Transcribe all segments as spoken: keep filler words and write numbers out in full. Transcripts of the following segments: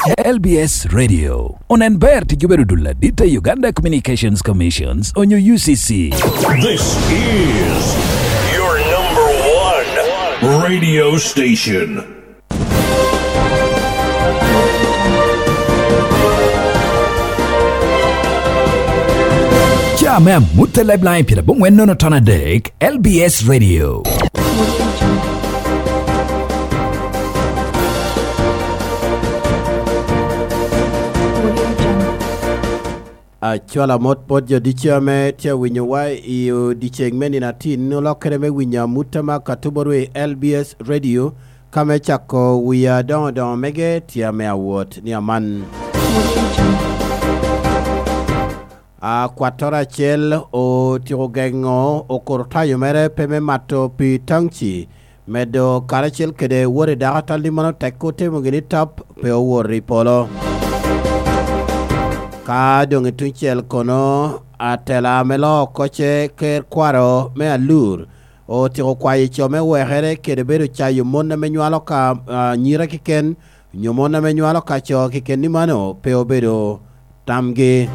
L B S Radio. Onen ber tic obedo dul adit a Uganda Communications Commissions onyo U C C. This is your number one radio station. Ca me amut a Liveline pyerabongwen nono ton adek, L B S Radio. Acwalo amot bot jo ducu ame tye awinyowa i odyeŋ me nino atin, olokere me winyo amut ame akatubo rwe i L B S Radio, ka me cako wia adoŋo doŋo mege tye ame awot ni aman. Akwattoro acel otyeko geŋo okurutayo mere pe me mato pii taŋci, medo karacel kede wot i dakatal ni mano tek otimo gini tap pe owot i polo. Ka doŋ i tuŋ cel kono, atela ame loo oko ce ker kwaro me Alur otyeko kwayo co me wekere kede bedo cayo mon ame nywalo ka, ah, anyira keken, onyo mon ame nywalo ka co keken ni mano pe obedo tamgi.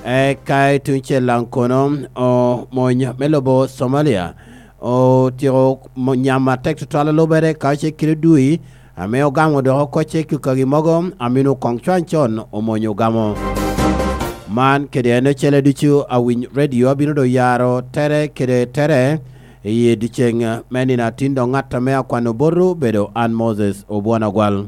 Eka i tuŋ cel daŋ kono, omony me lobo Somalia otyeko mo-, nyamo atek tutwal a lubere ka ce kite dui, ame ogamo dok oko ce kikagi mogo, amino koŋ cwany con omonyo ogamo. Man kede en ocele ducu awiny redio abino doŋ yaro tere kede tere i dyeceŋ me nino atin, dok ŋat ame akwano botwu obedo an Moses Obwon Agwal.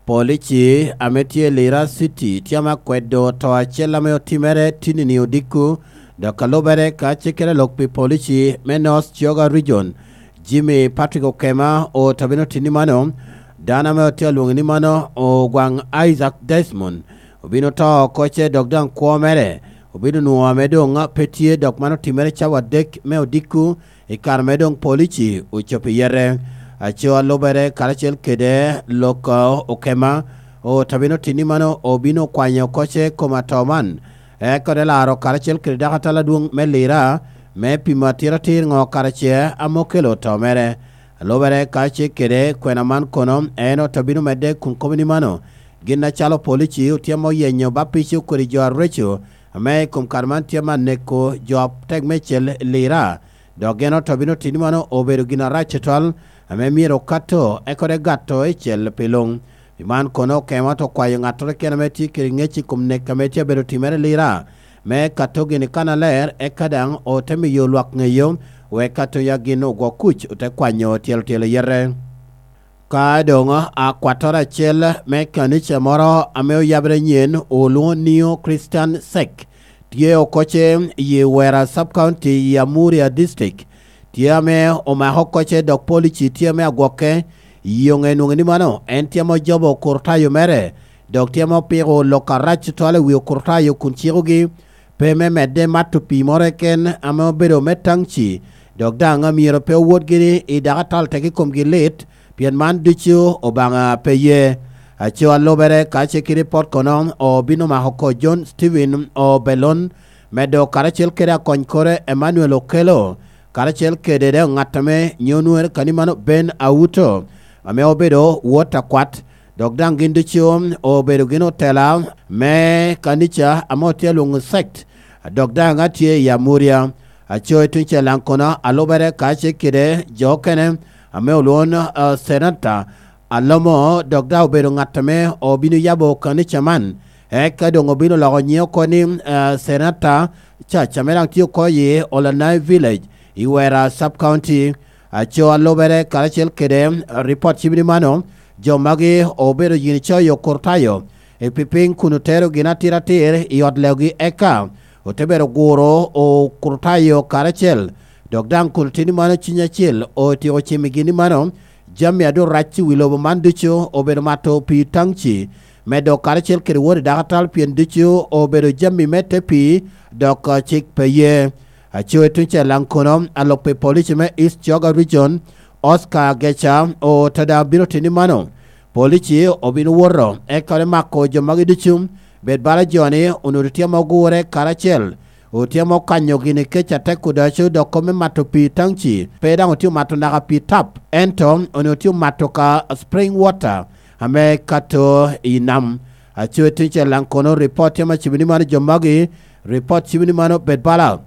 Polici ame tye i Lira City tye ame akwedo to acel ame otimere tinini odiko, dok a lubere ka cikkere lok pi polici me North Kyoga Region, Jimmy Patrick Okema otabino tini mano, dano ame otye alwoŋi ni mano Ogwaŋ Isaac Desmond, obino to oko ce dok daŋ kwo mere obino nwoŋo ame doŋ pe tye, dok man otimere cawa adek me odiko i kare me doŋ polici ocobo i yete. Aco a lubere karacel kede lok, uh, Okema otabino tini mano obino kwanyo oko ce kom ato man, eka te laro karacel kede dakatal adwoŋ me Lira me pimo atiratir ŋo kara ce ame okelo to mere. A lubere ka ce kede kwena man kono, en otabino medde kun kobo ni mano, gin acalo polici otyemo yenyo bapico kodi jo areco ame i kom kare man tye me aneko jo atek meicel i Lira, dok gin otabino tini mano obedo gin arac tutwal ame myero okato eka te gato i cel pi luŋ. Pi man kono Okema to kwayo ŋattoro keken ame tye kede ŋec i kom nek ame tye abedo timere i Lira, me kato gini kannaler, eka daŋ ote miyo lwak ŋeyo, wek kato ya gin ogwo kuc ote kwanyo tyelo tyelo yete. Ka doŋ akwattoro acel me kanica moro ame oyabere nyen olwoŋo Neo Christian Sek, tye oko ce i Wera Sub County i Amuria District, tye ame omako oko ce dok polici tye ame agwokke, i yoŋe nwoŋo ni mano en tye ame ojobo okurutayo mere, dok tye ame opiko lok arac tutwal i wi okurutayo kun cikogi pe me medde mato pii moro keken ame obedo me taŋci, dok daŋ myero pe owot gini i dakatal teke komgi lit, pien man ducu Obaŋa pe ye. Aco a lubere ka ce kede pot kono obino mako oko John Stephen Obelon, medo karacel kede akony kore Emmanuel Okello, karacel kede daŋ ŋat ame nyo nwere kani mano Ben Auto, ame obedo wot akwat, dok daŋ gin ducu obedo gin otela me kanica ame otye alwoŋo sekt, dok daŋ atye i Amuria. Aco i tuŋ cel daŋ kono a lubere ka ce kede jo okene ame olwoŋo, ah, Senata Alomo, dok daŋ obedo ŋat ame obino yabo kanica man, eka doŋ obino loko nyiŋe oko ni, ah, Senata Church ame daŋ tye oko i Olanai Village i Wera Sub County. Aco a lubere karacel kede ripot cimini mano, jo magi obedo gin coyo okurutayo i pipiny kun otero gin atiratir i ot leogi, eka ote bedo guro okurutayo karacel, dok daŋ kun otini mano cuny acel otyeko cimigi ni mano, jami a doŋ rac i wi lobo man ducu obedo mato pii taŋci, medo karacel kede wot i dakatal pien ducu obedo jami me te pii, dok, ah, cik pe ye. Aco i tuŋ cel daŋ kono, alub pi polici me East Kyoga Region, Oscar Geca, ote daŋ bino tini mano. Polici obino woto, eka te mako jo magi ducu, bed bala jo-ni onwoŋo tye ame ogure karacel, otye ame okanyo gini kec atek odaco, dok kop me mato pii taŋci, pe daŋ otye omato naka pii tap, ento onwoŋo tye omato ka spring water, ame kato i nam. Aco i tuŋ cel daŋ kono, ripot tye ma cibo ni mano jo magi, ripot cibo ni mano bed bala.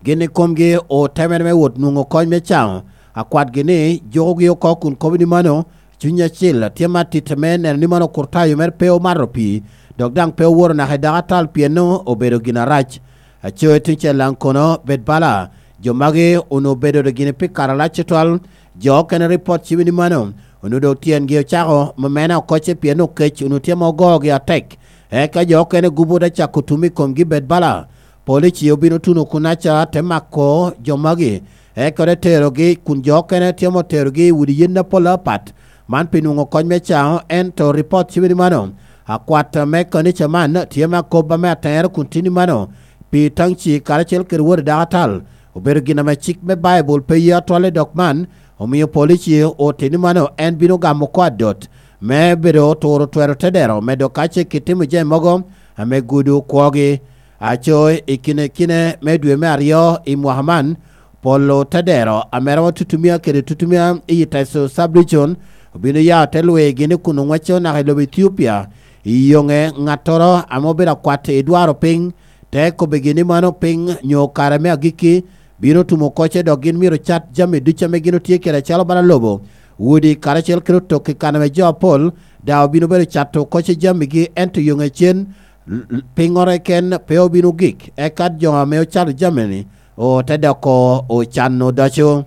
Gin i komgi otemere me wot nwoŋo kony me caŋo. Akwatgi ni jukogi oko kun kobo ni mano, Cuny Acil tye ma tite me neno ni mano okurtayo mere pe omato pii, dok daŋ pe owoto naka i dako atal pien nwoŋo obedo gin arac. Aco i tuŋ cel daŋ kono, bed bala, jo magi onwoŋo obedo gini pi kare alac tutwal. Jo okene ripot cibo ni mano, onwoŋo doŋ tyengi ocako memena oko ce pien okec onwoŋo tye ma ogogi atek. Eka jo okene gubo te cako tum i komgi bed bala. Polici obino tuno kunaca te mako jo magi, eka te terogi kun jo okene tye ma oterogi i udi yen apol apat. Man pi nwoŋo kony me caŋo, ento ripot cibo ni mano, akwat me kanica man tye me akob ame atere kun tye ni mano, pi taŋci karacel kede wode dako atal, obedo gin ame cik me Baibul pe ye atwal i dok man, omio polici otito ni mano en bino gamo oko adot, me bedo turo twero te dero, medo ka ce kitimo jami mogo ame gudo kwogi. Aco i kine kine me dwe me aryo i mwaka man, polo te dero ame romo tutumia kede tutumia i Teso Sub-Region obino ya te lwigi ni kun oŋwecco naka i lobo Ethiopia. I yoŋe, ŋattoro ame obedo akwat i dwaro piny, te kobbigi ni mano piny nyo kare me agikki bino tumo koce, dok gin myero cat jami ducu ame gin otye kede acalo bala lobo, udi karacel kede otokki kan ame jo apol daŋ obino bedo cato koce jamigi, ento yoŋe cen l-, l-, piŋŋoro keken pe obino gik, eka jo ame ocato jami-ni ote doko ocan odoco.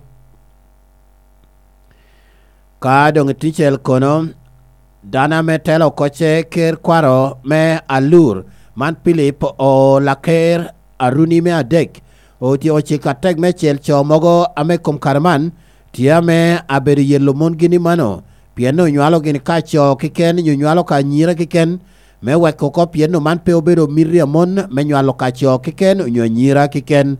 Ka doŋ i tuŋ cel kono, dano ame telo oko ce ker kwaro me Alur, man Pilip Olaker Aruni me adek, otyeko cik atek me cel co mogo ame i kom kare man tye ame abedo yelo mongi ni mano, pien onywalo gini ka co keken nyo nywalo ka anyira keken, me weko oko pien man pe obedo miti a mon me nywalo ka co keken onyo anyira keken.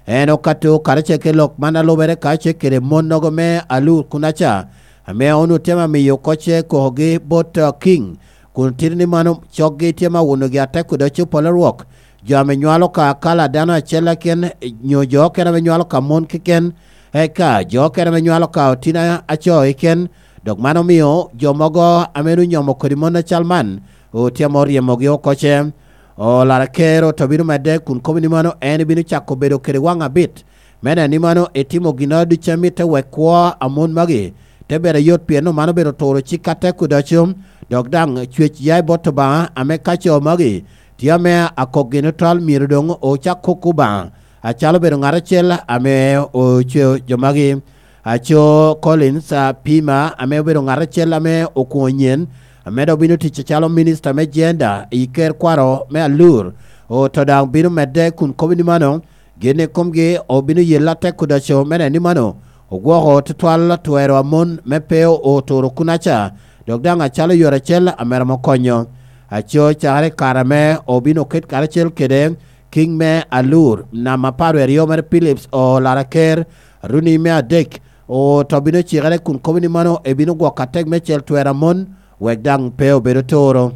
En okato karacel ki lok man a lubere karacel kede monnogo me Alur kunaca, ame onwoŋo tye ma miyo kocce kokogi bot, uh, King, kun tito ni mano coggi tye ma wunogi atek kede oco polo rwok. Jo ame nywalo ka kala dano acel keken, nyo jo okene ame nywalo ka mon keken, eka jo okene ame nywalo ka otino aco keken, dok man omio jo mogo ame onwoŋo nyomo kodi mon acal man, otye ame oryemogi oko ce. Olaro ker oto bino medde kun kobo ni mano en bino cako bedo kede waŋ abit, me neno ni mano etimo ginnoro ducu a mitte wek kwo a mon magi te bedo ayot, pien omano obedo turo cik atek odoco, dok daŋ cwec ya i bot Obaŋa ame ka co magi tye ame akok gin otwal myero doŋ ocak kok Obaŋa, acalo obedo ŋat acel ame ocweo jo magi. Aco Collins, a, Pima, ame obedo ŋat acel ame okwoŋo nyen, ame dok bino tic acalo minista me jenda i ker kwaro me Alur, oto daŋ bino medde kun kobo ni mano, gin i komgi obino yelle atek odoco me neno ni mano ogwoko tutwal twero a mon me pe oturo kunaca, dok daŋ acalo yore acel ame romo konyo. Aco cakere i kare ame obino ket karacel kede King me Alur, nam apar wie aryo mere Phillips Olaraker, Aruni me adek, oto bino cikere kun kobo ni mano ebino gwoko atek me cel twero a mon, wek daŋ pe obedo toro.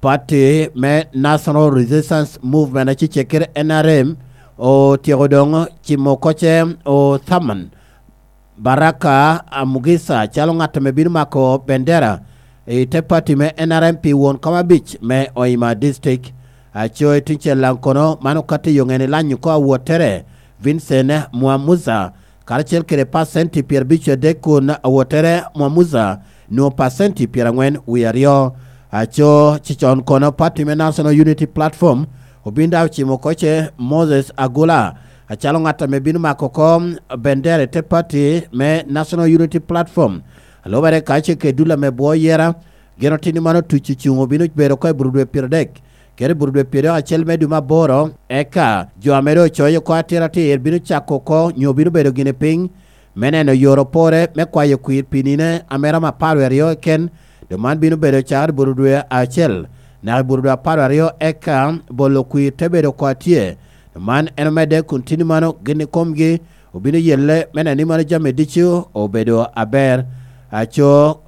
Pati me National Resistance Movement, acecek kede N R M, otyeko doŋ cimo kocce othamon Baraka Amugisa calo ŋat ame bino mako bendera i te pati me N R M pi won kom abic me Hoima District. Aco i tuŋ cel daŋ kono, man okato i yo ŋene lanyo oko awottere, Vincent Mwamuza, karacel kede pacenti pyerabic adek kun awottere Mwamuza nwoŋo pacenti pyeraŋwen wie aryo. Aco cicon kono, pati me National Unity Platform obin daŋ ocimo oko ce Moses Agula acalo ŋat ame bino mako oko bendera i te pati me National Unity Platform. A lubere ka ce kede dul ame bwo yera, gin otin ni mano tuc ocuŋ obino bedo oko i bur dwe pyeradek, kede i bur dwe pyeradek acel me dwe me aboro, eka jo ame doŋ ocoyo oko atir atir bino cako oko nyo bino bedo gini piny, me neno yore opore me kwayo kwir pi nino ame romo apar wie aryo keken, dok man bino bedo cakere i bur dwe acel, naka i bur dwe apar wie aryo, eka bolo kwir te bedo oko atye. Dok man en omedde kun tin i mano gin i komgi obino yelle me neno ni mano jami ducu obedo aber. Aco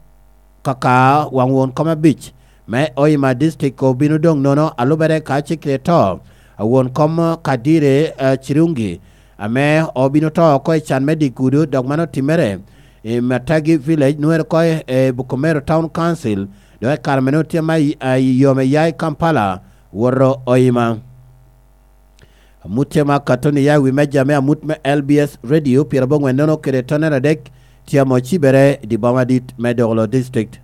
kaka waŋ won kom abic me Hoima District obino doŋ nono, a lubere ka cikre to a won kom Kadire, eh, Cirungi, ame obino to oko i can me dye gudo, dok man otimere i Matagi Village, nwere oko i Bukomero Town Council, dok i kare mene otye ma i, a, i yo me ya i Kampala, woto Hoima. Amut tye ma Katoni ya i wi meja me amut me L B S Radio pyerabongwen nono kede tonere adek, tye ame ocibere i di boma dit me Dogolo District.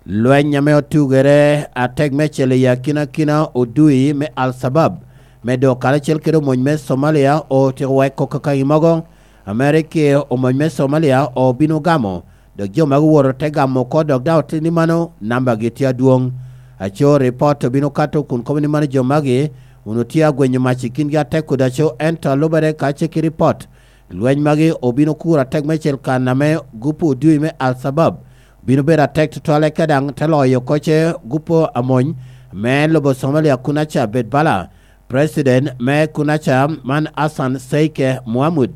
Lweny ame otugere atek meicel i akinakina odui me Al-Shabab, me do karacel kede omony me Somalia, otyeko weko kakagi mogo, Amerika omony me Somalia obino gamo, dok jo magi owoto te gamo oko, dok daŋ otye ni mano nambagi tye adwoŋ. Aco ripot obino kato kun kobo ni mano jo magi onwoŋo tye agwenyo mac i kingi atek kodi aco, ento alubere ka ce ki ripot, lweny magi obino kuro atek meicel kan ame gupu odui me Al-Shabab obino bedo atek tutwal, eka daŋ te loyo oko ce gupu amony me lobo Somalia kun aca bed bala. President me kun aca man Hassan Sheikh Mohamud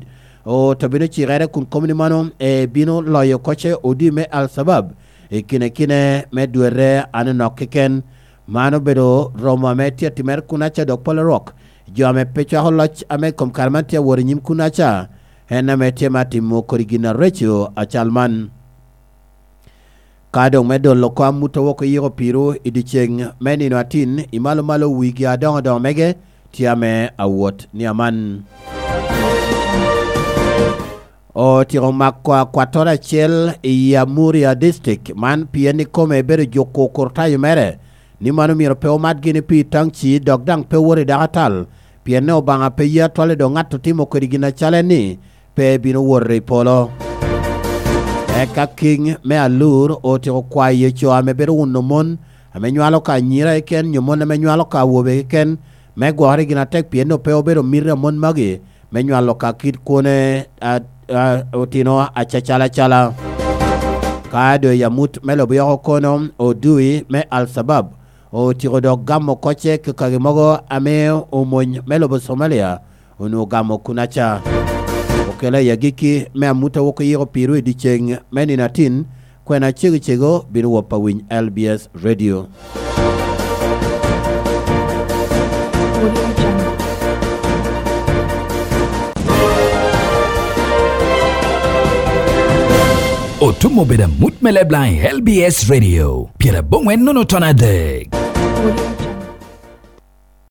oto bino cikere kun kobo ni mano ebino loyo oko ce odui me Al-Shabab i kine kine me dwete anonok keken. Man obedo romo ame tye atimere kun aca dok pol rwok jo ame pe cwako loc ame i kom kare man tye awot i nyim kun aca, en ame tye ma timo kodi gin areco acal man. Ka doŋ me dolo oko amut a wok oyiko piru i dyeceŋ me nino atin i malo malo wigi adoŋo doŋo mege tye ame awot ni aman. Otyeko mako akwattoro acel i Amuria District, man pien ikome ebedo juko kurtayo mere, ni mano myero pe omat gini pi taŋ ci dok daŋ pe wot i dako atal, pien ne Obaŋa pe ye atwal i dok ŋat otimo kodi gin acalo en ni, pe bino wot i polo. Eka kiŋ me alur otyeko kwayo co ame bedo wuno mon, ame nywalo ka anyira keken, nyo mon ame nywalo ka awobe keken, me gwokere gin atek, pien doŋ pe obedo miti a mon magi me nywalo ka kit kwone, a, a, otino acacalacala. Ka doŋ i amut me lobo yoko kono, odui me Al-Shabab otyeko dok gamo kocce kakagi mogo ame omony me lobo Somalia onwoŋo gamo kun aca. Okela i agikki me amut a wok oyiko piru i dyeceŋ me nino atin, kwena cego cego bino wop awiny L B S Radio. Otum obedo amut me leblaŋ i L B S Radio, pyerabongwen nono ton adek.